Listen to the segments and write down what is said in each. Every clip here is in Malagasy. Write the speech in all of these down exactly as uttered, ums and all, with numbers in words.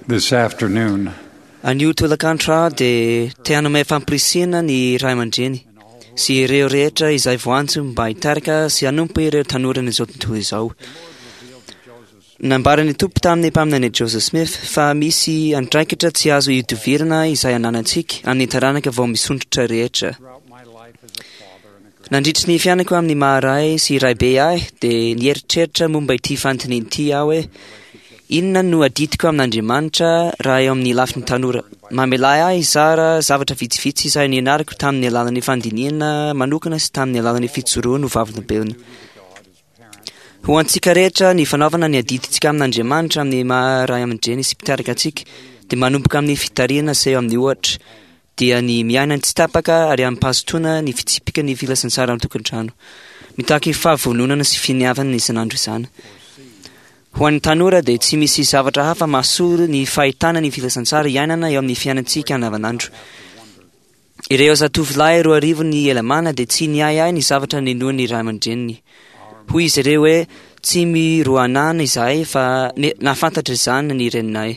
This afternoon, Anio tolakandro aho dia te hanome fampirisihana ny ray aman-dreny sy ireo rehetra izay voantso mba hitarika sy hanompo ireo tanoran'izao tontolo izao. Nambaran'ny Tompo tamin'ny mpaminany Joseph Smith fa misy andraikitra tsy azo ihodivirana izay ananantsika amin'ny taranaka vao misondrotra rehetra. throughout my life as a father and a Nandritry ny fiainako amin'ny maha-ray sy raibe ahy dia nieritreritra momba ity fanontaniana ity aho hoe inona no adidiko amin'Andriamanitra raha eo amin'ny lafiny tanora. Mamela ahy hizara zavatra vitsivitsy izay nianarako tamin'ny alalan'ny fandinihana manokana sy tamin'ny alalan'ny fijoroana ho vavolombelona. Ho antsika rehetra ny fanaovana ny adidintsika amin'Andriamanitra amin'ny maha-ray aman-dreny sy mpitarika antsika dia manomboka amin'ny fitarihana seho amin'ny ohatra dia ny miaina tsy tapaka ary amim-pahazotoana ny fitsipika ny filazantsara an-tokantrano. Mitaky fahavononana sy finiavana isan'andro izany. Ho an'ny tanora dia tsy misy zavatra hafa mahasolo ny fahitana ny filazantsara iainana eo amin'ny fiainantsika andavanandro. Ireo zatovolahy roa arivo ny Helamàna dia tsy niahiahy ny zavatra ninoan'ny ray aman-dreniny. Hoy izy ireo hoe tsy miroanana izahay fa ne- nahafantatra izany ny reninay.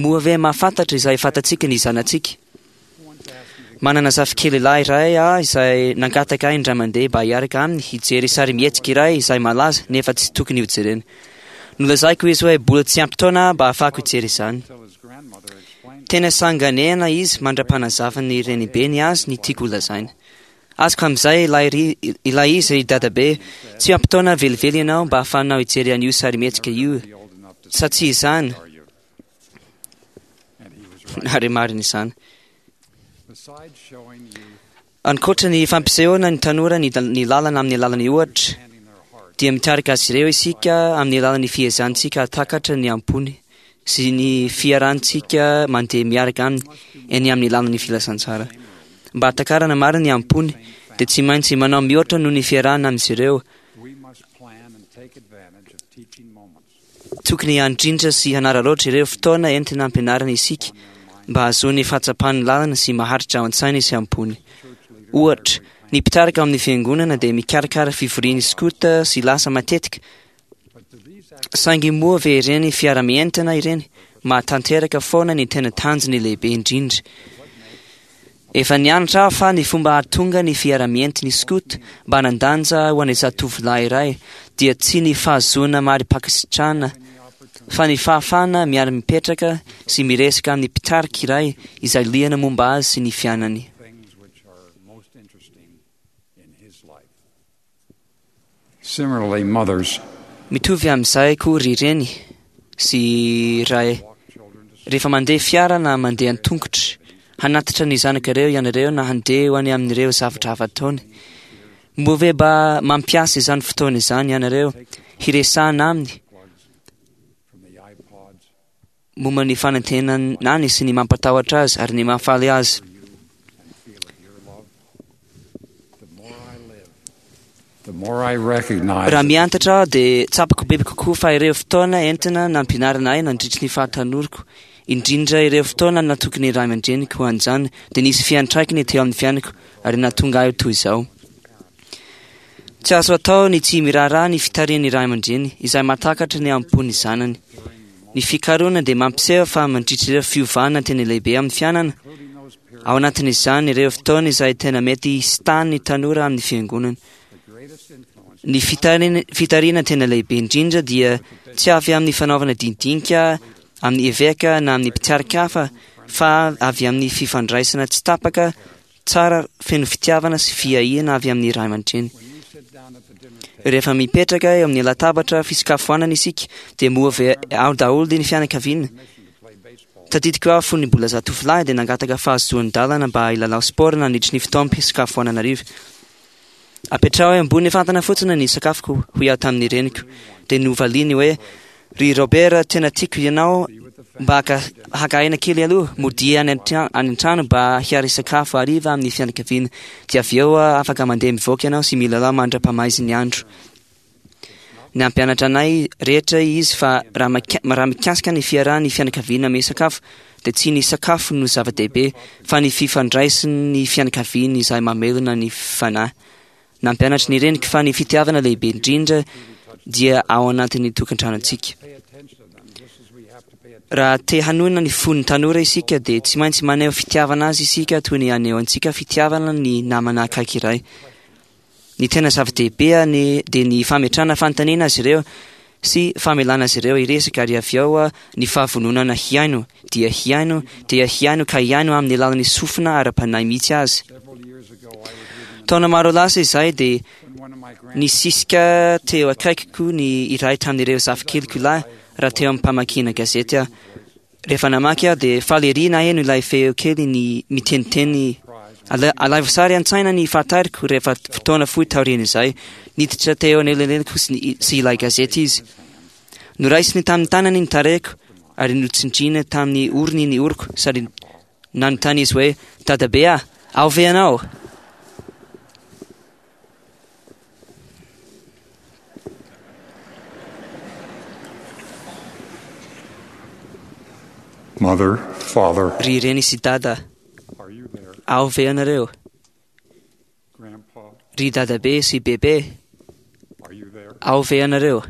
Moa ve mahafantatra izay fantatsika ny zanatsika? Manana zafikely lahy iray aho izay nangataka ahy indray mandeha mba hiaraka aminy hijery sarimihetsika iray izay malaza nefa tsy tokony hojerena. Nolazaiko izy hoe mbola tsy ampy taona mba ahafahako hijery izany. till his grandmother explained Tena sanganehana izy mandra-panazavan'ny renibeny azy ny tiako holazaina. Azoko amin'izay ilay ry- ilay izy ry dadabe, tsy ampy taona velively ianao mba ahafahanao hijery an'io sarimihetsika io. be old enough to Sa tsy izany, are you? And he was right. ary marina izany. Besides showing you Ankoatra ny fampisehoana ny tanora ny, ny lalana amin'ny alalan'ny ohatra, handing their heart dia mitarika azy ireo isika amin'ny alalan'ny fiezantsika hahatakatra ny ampony sy ny fiarahantsika mandeha miaraka aminy eny amin'ny lalan'ny filazantsara. Mba hahatakarana marina ny ampony dia tsy maintsy manao mihoatra noho ny fiarahana amin'izy ireo. we must plan and take advantage of teaching moments. Tokony handrindra sy hanararaotra ireo fotoana entina ampianarana isika mba hahazoany fahatsapan'ny lalana sy maharitra ao an-tsainy sy ampony. Ohatra, ny mpitarika ao amin'ny fiangonana dia mikarakara fivorian'ny skoto sy lasa matetika. But do these Saingy moa ve ireny fiara-mientana ireny mahatanteraka foana ny tena tanjony lehibe indrindra. Efa nianatra aho fa ny fomba hahatonga ny fiara-mientin'ny skoto mba hanan-danja ho an'ny zatovolahy iray dia tsy ny fahazoana mari-pankasitrahana fa ny fahafahana miara-mipetraka sy miresaka amin'ny mpitarika iray izay liana momba azy sy ny fiainany. things which are most interesting in his life. Similarly, mothers Mitovy amin'izay koa ry reny sy ray walk children to rehefa mandeha fiara na mandeha an-tongotra hanatitra ny zanakareo ianareo na handeha ho any amin'ireo zavatra hafa ataony. Moa ve mba mampiasa izany fotoana izany ianareo hiresahana aminy plugs from the iPods momba ny fanantenany sy ny mampatahotra azy ary ny mahafaly azy. for you and feel your love. The more I live, the more I recognize Raha miantatra aho dia tsapako bebe kokoa fa ireo fotoana entina nampianarana ahy nandritry ny fahatanoriko, indrindra ireo fotoana natokony ray aman-dreniko ho an'izany dia nisy fiantraikany teo amin'ny fiainako ary nahatonga ahy ho toy izao. Tsy azo atao ny tsy miraharaha ny fitarihan'ny ray aman-dreny izay mahatakatra ny ampon'ny zanany. Ny fikarohana dia mampiseho fa mandritra ireo fiovana tena lehibe amin'ny fiainana, including those periods ao anatin'izany ireo fotoana izay tena mety hisitan'ny tanora amin'ny fiangonana. the greatest influence Ny fitarina, fitarihana tena lehibe indrindra dia tsy avy amin'ny fanaovana dinidinika amin'ny eveka na amin'ny mpitarika hafa fa avy amin'ny fifandraisana tsy tapaka tsara feno fitiavana sy fiahiana avy amin'ny ray aman-dreny. when you sit down at the dinner table Rehefa mipetraka eo amin'ny latabatra fisakafoanana isika dia moa ve ao daholo ny fianakaviana. permission to play baseball Tadidiko aho fony mbola zatovolahy dia nangataka fahazoan-dalana mba hilalao sport nandritry ny fotoam-pisakafoanana hariva. Apetraho eo ambony fatana fotsiny ny sakafoko hoy aho tamin'ny reniko. Dia novaliany hoe ry Robert tena tiako ianao mba haka, haka aina kely aloha modia any an-tra- any an-trano mba hiary sakafo hariva amin'ny fianakaviana. Dia avy eo ah, afaka mandeha mivoaka ianao sy milalao mandra-pamaizin'ny andro. Nampianatra anay rehetra izy fa raha mika- raha mikasika ny fiarahan'ny fianakaviana misakafo dia tsy ny sakafo no zava-dehibe fa ny fifandraisan'ny fianakaviana izay mamelona ny fanahy. Nampianatra ny reniko fa ny fitiavana lehibe indrindra dia ao anatin'ny tokantranontsika. pay attention to them just as we have to pay attention Raha te hanohina ny fon'ny tanora isika dia tsy maintsy maneho fitiavana azy isika toy ny anehoantsika fitiavana ny namana akaiky iray. Ny tena zava-dehibe ny dia ny fametrahana fanontaniana azy ireo sy famelana azy ireo hiresaka, ary avy eo ny fahavononana hihaino, dia hihaino, dia hihaino ka hihaino amin'ny alalan'ny sofina ara-panahy mihitsy azy. Several years ago, I was reading Taona maro lasa izay dia when one of my grand nisisika teo akaikiko ny iray tamin'ireo zafikeliko lahy raha teo am-pamakiana gazety aho. Rehefa namaky aho dia faly ery naheno ilay feo kely ny miteniteny. Ala- Alaivo sary an-tsaina ny fahatariko rehefa fotoana fohy taorian'izay. Niditra teo anelanelaniko sy ny- sy ilay gazety izy. Noraisiny tamin'ny tanany ny tarehiko ary notsindriana tamin'ny orony ny oroko sady nanontany izy hoe: "Dadabe ah, ao ve ianao?" Mother, father, Ry reny sy dada, are you there? ao ve ianareo? Grandpa, Ry dadabe sy bebe, are you there? ao ve ianareo?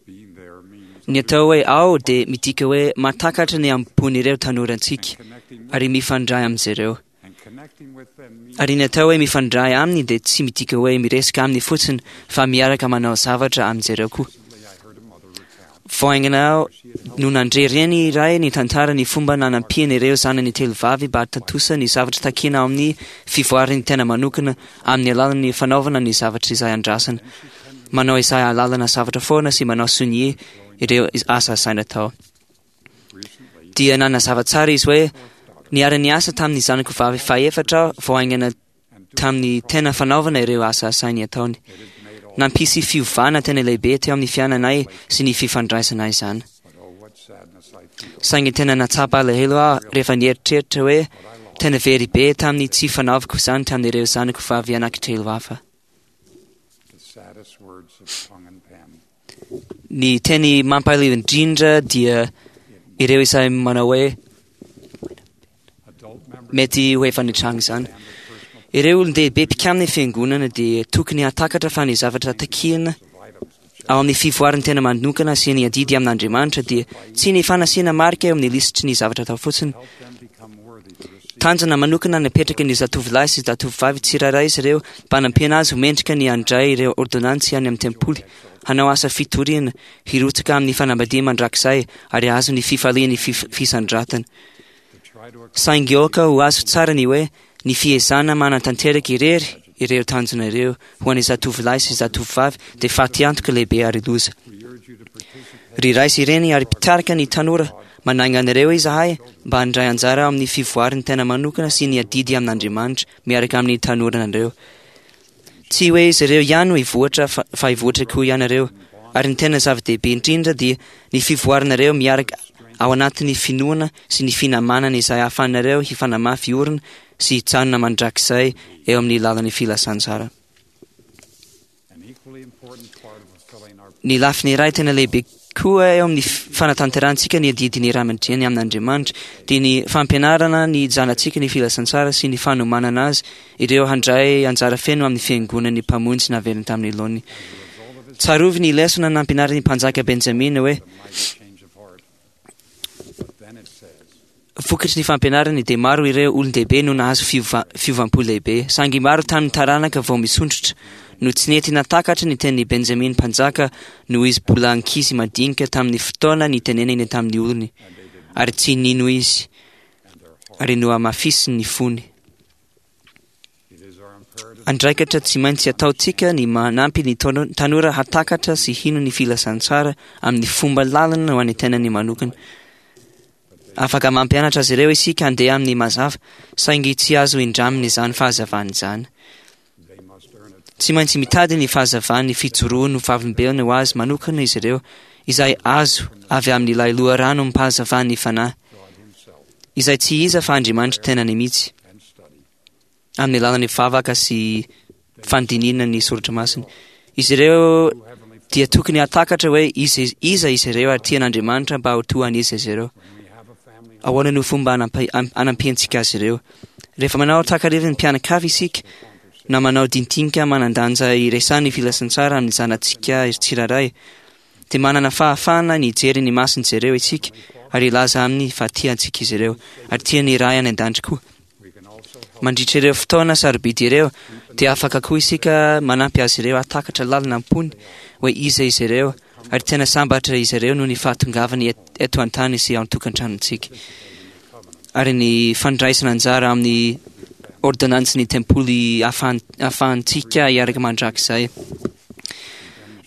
Being there means Ny atao hoe ao dia midika hoe mahatakatra ny ampon'ireo tanorantsika connecting with, ary mifandray amin'izy ireo. and connecting with them means Ary ny atao hoe mifandray aminy dia tsy midika hoe miresaka aminy fotsiny fa miaraka manao zavatra amin'izy ireo koa. recently I heard a mother recount Vao haingana aho no nandre reny iray ny tantara ny fomba nanampiany ireo zanany telo vavy mba hahatontosa ny zavatra takiana ao amin'ny fivoaran'ny tena manokana amin'ny alalan'ny fanaovana ny zavatra izay andrasana. Manao izay ahalalana zavatra foana sy manao sonia ireo asa asaina atao. recently Dia nanazava tsara izy hoe niara-niasa tamin'ny zanako vavy fahefatra aho vao haingana tamin'ny tena fanaovana ireo asa asainy ataony. it had made all Nampisy fiovana tena lehibe teo amin'ny fiainanay sy ny fifandraisanay izany. but oh what sadness I feel Saingy tena natsapa alahelo aho rehefa nieritreritra hoe tena very be tamin'ny tsy fanaovako izany tamin'ireo zanako vavy anankitelo hafa. the saddest words of tongue and pen. Ny teny mampalahelo indrindra dia ireo izay manao hoe Adult members mety ho efa nitranga izany. and the personal Ireo olon-dehibe mpikamina ny fiangonana dia tokony hahatakatra fa ny zavatra takiana of items to check ao amin'ny fivoaran'ny tena manokana sy ny adidy amin'Andriamanitra dia tsy ny fanasiana marika eo amin'ny lisitry ny zavatra atao fotsiny. help them become worthy to receive Tanjona manokana napetraka ny zatovolahy sy zatovovavy tsirairay izy ireo mba hanampiana azy ho mendrika ny handray ireo ordonantsy any amin'ny tempoly, hanao asa fitoriana, hirotsaka amin'ny fanambadiana mandrakizay ary hahazo ny fifalian'ny fif- fisandratana. to try to Saingy aoka ho azo tsara ny hoe ny fiezahana manatanteraka irery ireo tanjona ireo ho an'ny zatovolahy sy zatovovavy dia fatiantoka lehibe ary loza. we urge you to participate Ry ray sy reny ary mpitarika ny tanora, manainga anareo izahay mba handray anjara amin'ny fivoaran'ny tena manokana sy ny adidy amin'Andriamanitra miaraka amin'ny tanoranareo. Tsy hoe izy ireo ihany no hivoatra fa, fa hivoatra koa ianareo. Ary ny tena zava-dehibe indrindra dia ny fivoaranareo miaraka ao anatin'ny finoana sy ny finamanana izay ahafahanareo hifanamafy orina sy hijanona mandrakizay eo amin'ny lalan'ny filazantsara. an equally important part of fulfilling our Ny lafiny iray tena lehibe koa eo amin'ny fanatanterahantsika ny adidin'ny ray aman-dreny amin'Andriamanitra dia ny fampianarana ny zanatsika ny filazantsara sy ny fanomanana azy ireo handray anjara feno amin'ny fiangonan'ny mpamonjy naverina tamin'ny laoniny. Tsarovy ny lesona nampianarin'ny mpanjaka Benjamina hoe the mighty change of heart. But then it says, vokatry ny fampianarany dia maro ireo olon-dehibe no nahazo fiova- fiovam-po lehibe, saingy maro tamin'ny taranaka vao misondrotra no tsy nety natakatra ny tenin'i Benjamin mpanjaka noho izy mbola ankizy madinika tamin'ny fotoana nitenenany tamin'ny olony, ary tsy nino izy and their heart. ary nohamafisiny ny fony. It is our imperative Andraikitra tsy maintsy ataontsika ny manampy ny tano- tanora hatakatra sy hino ny filazantsara amin'ny fomba lalina ho an'ny tenany manokana. Afaka mampianatra azy ireo isika handeha amin'ny mazava, saingy tsy azo indramina izany fahazavana izany. they must earn it Tsy maintsy mitady ny fahazavan'ny fijoroany ho vavolombelona ho azy manokana izy ireo, izay azo avy amin'ilay loharanom-pahazavan'ny fanahy, God himself izay tsy iza fa Andriamanitra tenany mihitsy, and study. amin'ny alalan'ny vavaka sy fandinihana ny soratra masina. Izy ireo O Heavenly dia tokony hatakatra hoe iza iza izy ireo ary tian'Andriamanitra mba ho toa an'iza izy ireo. When we have a family Ahoana no fomba anampi- am- anampiantsika azy ireo? Rehefa manao takariva ny mpianakavy isika, na manao dintinika manan-danja iresahan'ny filazantsara amin'ny zanatsika tsirairay, dia manana fahafahana ny hijery ny mason'izy ireo isika ary hilaza aminy fa tiantsika izy ireo ary tian'ny Ray any an-danitra koa. We can also help Mandritra ireo fotoana sarobidy ireo dia afaka koa isika manampy azy ireo hahatakatra lalina am-pony hoe iza izy ireo ary tena sambatra izy ireo noho ny fahatongavany et- eto an-tany sy ao an-tokantranontsika. Ary ny fandraisana anjara amin'ny ordonnansin'ny tempoly ahafahan- ahafahantsika hiaraka mandrakizay.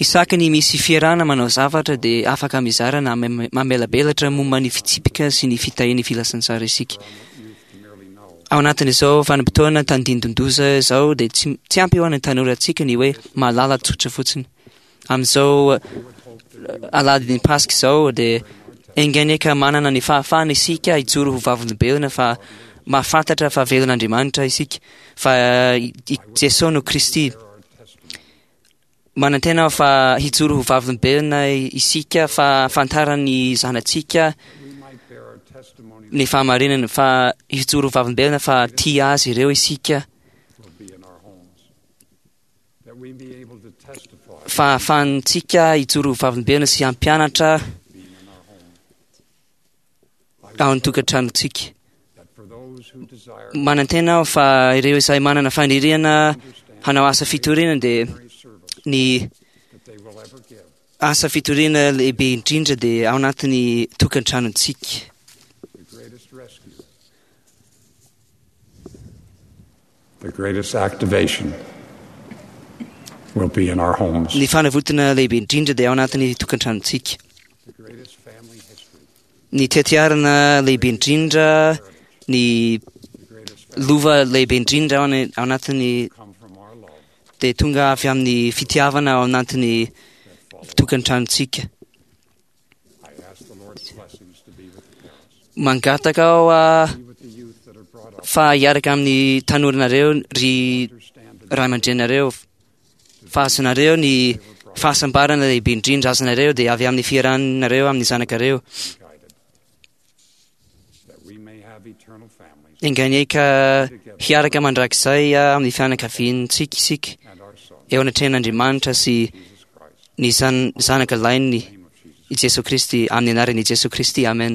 Isaky ny misy fiarahana manao zavatra dia afaka mizara na mame- mamelabelatra momba ny fitsipika sy ny fitahian'ny filazantsara isika. youth to merely know Ao anatin'izao vanim-potoana tandindon-doza izao dia tsy, tsy ampy ho an'ny tanorantsika ny hoe mahalala tsotra fotsiny. Amin'izao eh, alahadin'ny Paska izao dia enga anie ka manana ny fahafahana isika hijoro ho vavolombelona fa mahafantatra fa velon'Andriamanitra isika fa eh, i Jesosy no Kristy. our testimony. Manantena aho fa hijoro ho vavolombelona isika fa fantaran'ny zanatsika We might bear our testimony ny fahamarinana fa hijoro ho vavolombelona fa tia azy ireo isika will be in our homes. That we be able to testify fa ahafahantsika hijoro ho vavolombelona sy hampianatra being in our home. I ao would an-tokantranontsika. that for those who desire Manantena aho fa ireo izay manana faniriana to understand hanao asa fitoriana dia the service ny that they will ever give, asa fitoriana lehibe indrindra dia ao anatin'ny tokantranontsika. the greatest rescue, the greatest activation will be in our homes. Ny fanavotana lehibe indrindra dia ao anatin'ny tokantranontsika. The greatest family history, Ny tetiarana lehibe indrindra, ny the greatest family lova lehibe indrindra ao ana- ao anatin'ny come from our love dia tonga avy amin'ny fitiavana ao anatin'ny that follows. tokantranontsika. I ask the Lord's blessings to be with the parents, Mangataka aho ah, be with the youth that are brought up, fa hiaraka amin'ny tanoranareo ry understand the ray aman-drenareo fa azonareo ny fahasambarana lehibe indrindra azonareo dia avy amin'ny fiarahanareo amin'ny zanakareo. guided, that we may have eternal families Enga anie ka hiaraka mandrakizay ah, amin'ny fianakaviantsika isika and our Son, eo anatrehan'Andriamanitra sy Jesus Christ. ny zan- zanaka lainy In the name of Jesus. i Jesoa Kristy amin'ny anaran'i Jesoa Kristy. Amen.